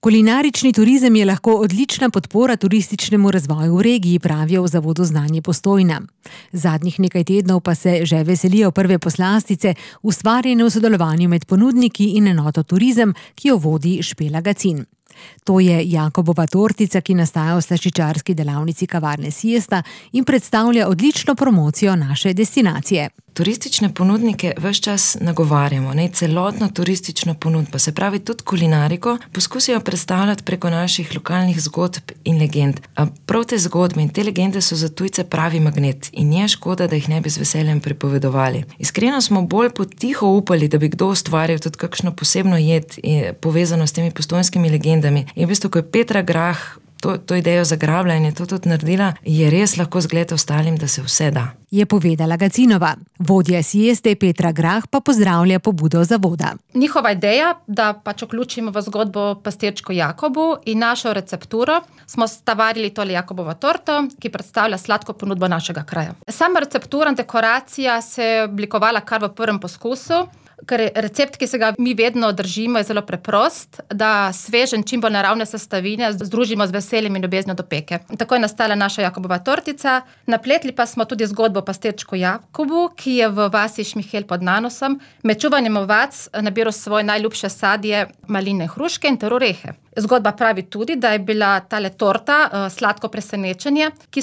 Kulinarični turizem je lahko odlična podpora turističnemu razvoju v regiji, pravijo v Zavodu Znanje Postojna. Zadnjih nekaj tednov pa se že veselijo prve poslastice, ustvarjene v sodelovanju med ponudniki in enoto Turizem, ki jo vodi Špela Gacin. To je Jakobova tortica, ki nastaja v slaščičarski delavnici kavarne Siesta in predstavlja odlično promocijo naše destinacije. Turistične ponudnike ves čas nagovarjamo, celotno turistično ponudbo, se pravi tudi kulinariko, poskusijo predstavljati preko naših lokalnih zgodb in legend. Prav te zgodbe in te legende so za tujce pravi magnet in je škoda, da jih ne bi z veseljem pripovedovali. Iskreno smo bolj potiho upali, da bi kdo ustvaril tudi kakšno posebno jed povezano s temi postojnskimi legendami. In v bistvu, ko je Petra Grah to idejo zagrabila in je to tudi naredila, je res lahko zgled ostalim, da se vse da. Je povedala Gacinova. Vodja Sieste Petra Grah pa pozdravlja pobudo zavoda. Njihova ideja, da vključimo v zgodbo pastirčko Jakobu in našo recepturo, smo stavarili tole Jakobovo torto, ki predstavlja sladko ponudbo našega kraja. Sama receptura in dekoracija se je oblikovala kar v prvem poskusu, ker recept, ki se ga mi vedno držimo, je zelo preprost, da svežen, čim bolj naravne sestavine združimo z veseljem in ljubeznijo do peke. Tako je nastala naša Jakobova tortica. Napletli pa smo tudi zgodbo pastirčku Jakobu, ki je v vasi Šmihel pod Nanosom med čuvanjem ovac nabiral svoje najljubše sadje, maline, hruške in ter orehe. Zgodba pravi tudi, da je bila tale torta sladko presenečenje, ki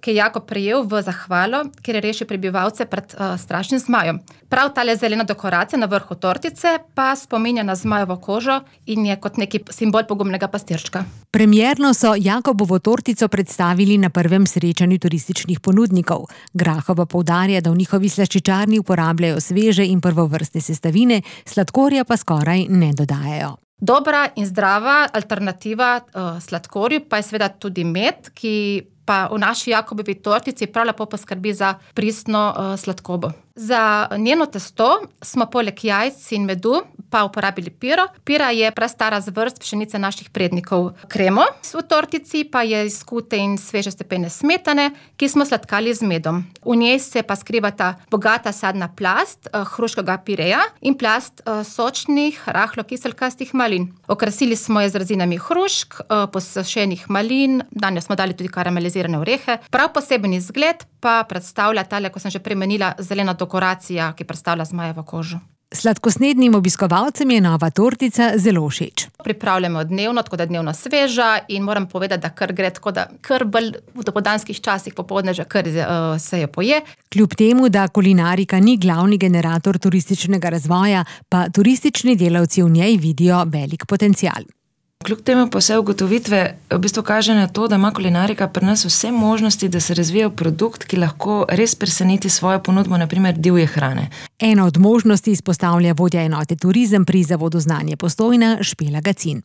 je Jakob prejel v zahvalo, ker je rešil prebivalce pred strašnim zmajem. Prav tale zelena dekoracija na vrhu tortice pa spominja na zmajevo kožo in je kot neki simbol pogumnega pastirčka. Premierno so Jakobovo tortico predstavili na prvem srečanju turističnih ponudnikov. Grahova poudarja, da v njihovi slaščičarni uporabljajo sveže in prvovrstne sestavine, sladkorja pa skoraj ne dodajajo. Dobra in zdrava alternativa sladkorju pa je seveda tudi med, ki pa v naši Jakobovi tortici prav lepo poskrbi za pristno sladkobo. Za njeno testo smo poleg jajc in medu pa uporabili piro. Pira je prastara zvrst pšenice naših prednikov. Kremo v tortici pa je iz skute in sveže stepene smetane, ki smo sladkali z medom. V njej se pa skrivata bogata sadna plast hruškega pireja in plast sočnih, rahlo kiselkastih malin. Okrasili smo je z rezinami hrušk, posušenih malin, danjo smo dali tudi karamelizirane orehe. Prav poseben izgled pa predstavlja tale, ko sem že premenila, zelena dekoracija, ki predstavlja zmajevo kožo. Sladkosnednim obiskovalcem je nova tortica zelo všeč. Pripravljamo dnevno, tako da je dnevno sveža in moram povedati, da kar gre tako, da kar bolj v dopoldanskih časih popoldne že kar se jo poje. Kljub temu, da kulinarika ni glavni generator turističnega razvoja, pa turistični delavci v njej vidijo velik potencial. Kljub temu pa vse ugotovitve v bistvu kaže na to, da ima kulinarika pri nas vse možnosti, da se razvija produkt, ki lahko res preseneti svojo ponudbo, na primer divje hrane. Ena od možnosti izpostavlja vodja enote Turizem pri Zavodu Znanje Postojna Špela Gacin.